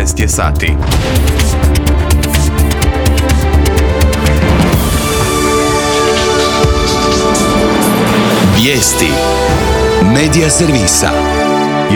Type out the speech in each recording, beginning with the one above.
14 je sati. Vijesti Medija servisa.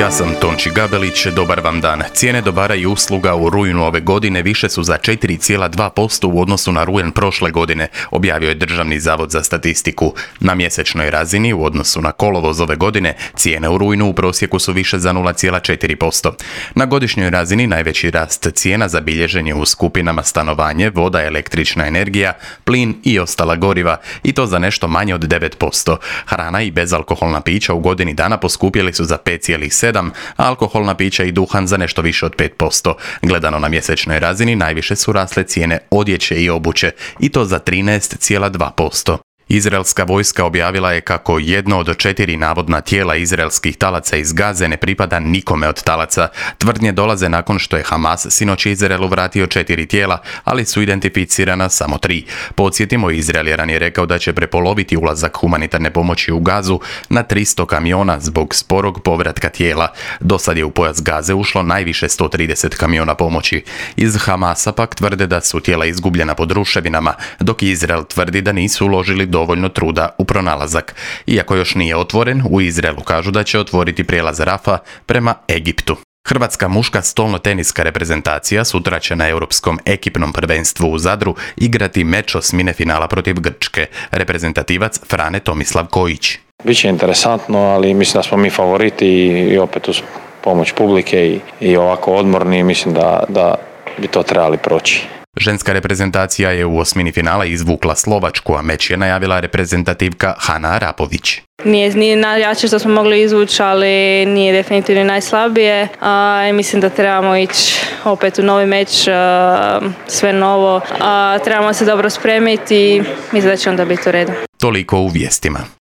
Ja sam Tonči Gabelić, dobar vam dan. Cijene dobara i usluga u rujnu ove godine više su za 4,2% u odnosu na rujan prošle godine, objavio je Državni zavod za statistiku. Na mjesečnoj razini u odnosu na kolovoz ove godine cijene u rujnu u prosjeku su više za 0,4%. Na godišnjoj razini najveći rast cijena zabilježen je u skupinama stanovanje, voda, električna energija, plin i ostala goriva, i to za nešto manje od 9%. Hrana i bezalkoholna pića u godini dana poskupjeli su za 5,7%, a alkoholna pića i duhan za nešto više od 5%. Gledano na mjesečnoj razini najviše su rasle cijene odjeće i obuće, i to za 13,2%. Izraelska vojska objavila je kako jedno od 4 navodna tijela izraelskih talaca iz Gaze ne pripada nikome od talaca. Tvrdnje dolaze nakon što je Hamas sinoć Izraelu vratio 4 tijela, ali su identificirana samo 3. Podsjetimo, Izrael je ranije rekao da će prepoloviti ulazak humanitarne pomoći u Gazu na 300 kamiona zbog sporog povratka tijela. Do sad je u pojas Gaze ušlo najviše 130 kamiona pomoći. Iz Hamasa pak tvrde da su tijela izgubljena pod ruševinama, dok Izrael tvrdi da nisu uložili dovoljno truda u pronalazak. Iako još nije otvoren, u Izraelu kažu da će otvoriti prijelaz Rafa prema Egiptu. Hrvatska muška stolnoteniska reprezentacija sutra će na europskom ekipnom prvenstvu u Zadru igrati meč osmine finala protiv Grčke. Reprezentativac Frane Tomislav Kojić. Biće interesantno, ali mislim da smo mi favoriti i opet uz pomoć publike i ovako odmorni, mislim da bi to trebali proći. Ženska reprezentacija je u osmini finala izvukla Slovačku, a meč je najavila reprezentativka Hana Arapović. Nije najjače što smo mogli izvući, ali nije definitivno najslabije. Mislim da trebamo ići opet u novi meč, sve novo. Trebamo se dobro spremiti i mislim da će onda biti u redu. Toliko u vijestima.